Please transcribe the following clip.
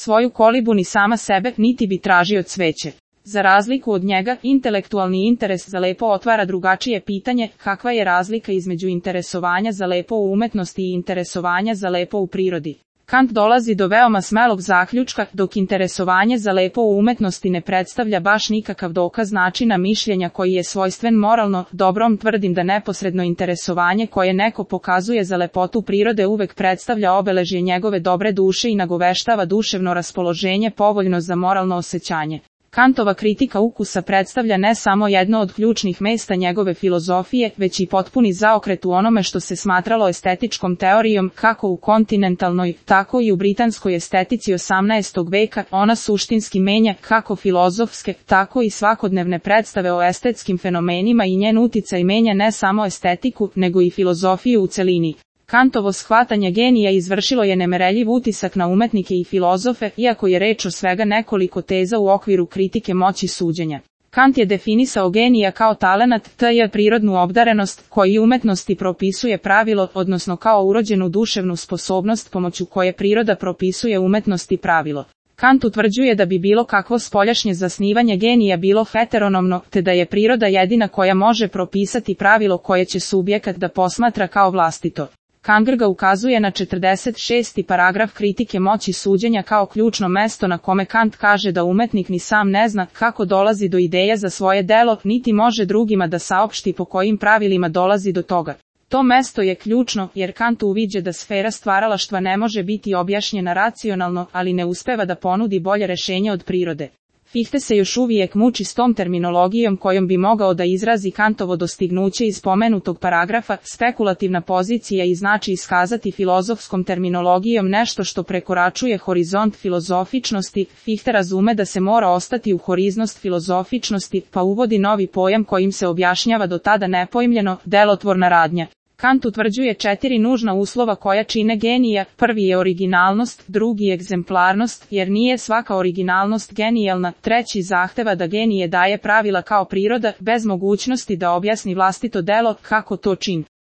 svoju kolibu ni sama sebe, niti bi tražio cveće. Za razliku od njega, intelektualni interes za lepo otvara drugačije pitanje, kakva je razlika između interesovanja za lepo u umetnosti i interesovanja za lepo u prirodi. Kant dolazi do veoma smelog zaključka, dok interesovanje za lepo u umetnosti ne predstavlja baš nikakav dokaz načina mišljenja koji je svojstven moralno dobrom, tvrdim da neposredno interesovanje koje neko pokazuje za lepotu prirode uvek predstavlja obeležje njegove dobre duše i nagoveštava duševno raspoloženje povoljno za moralno osjećanje. Kantova kritika ukusa predstavlja ne samo jedno od ključnih mesta njegove filozofije, već i potpuni zaokret u onome što se smatralo estetičkom teorijom, kako u kontinentalnoj, tako i u britanskoj estetici 18. veka. Ona suštinski menja kako filozofske, tako i svakodnevne predstave o estetskim fenomenima i njen uticaj menja ne samo estetiku, nego i filozofiju u celini. Kantovo shvatanje genija izvršilo je nemereljiv utisak na umetnike i filozofe, iako je reč o svega nekoliko teza u okviru kritike moći suđenja. Kant je definisao genija kao talenat, t.j. prirodnu obdarenost, koji umetnosti propisuje pravilo, odnosno kao urođenu duševnu sposobnost pomoću koje priroda propisuje umetnosti pravilo. Kant utvrđuje da bi bilo kakvo spoljašnje zasnivanje genija bilo heteronomno, te da je priroda jedina koja može propisati pravilo koje će subjekat da posmatra kao vlastito. Kant ukazuje na 46. paragraf kritike moći suđenja kao ključno mesto na kome Kant kaže da umetnik ni sam ne zna kako dolazi do ideje za svoje delo, niti može drugima da saopšti po kojim pravilima dolazi do toga. To mesto je ključno, jer Kant uviđa da sfera stvaralaštva ne može biti objašnjena racionalno, ali ne uspeva da ponudi bolje rešenje od prirode. Fichte se još uvijek muči s tom terminologijom kojom bi mogao da izrazi Kantovo dostignuće iz spomenutog paragrafa, spekulativna pozicija i znači iskazati filozofskom terminologijom nešto što prekoračuje horizont filozofičnosti. Fichte razume da se mora ostati u horizont filozofičnosti, pa uvodi novi pojam kojim se objašnjava do tada nepojmljeno, delotvorna radnja. Kant utvrđuje 4 nužna uslova koja čine genija. Prvi je originalnost, drugi egzemplarnost, jer nije svaka originalnost genijalna, treći zahteva da genije daje pravila kao priroda, bez mogućnosti da objasni vlastito delo, kako to čini.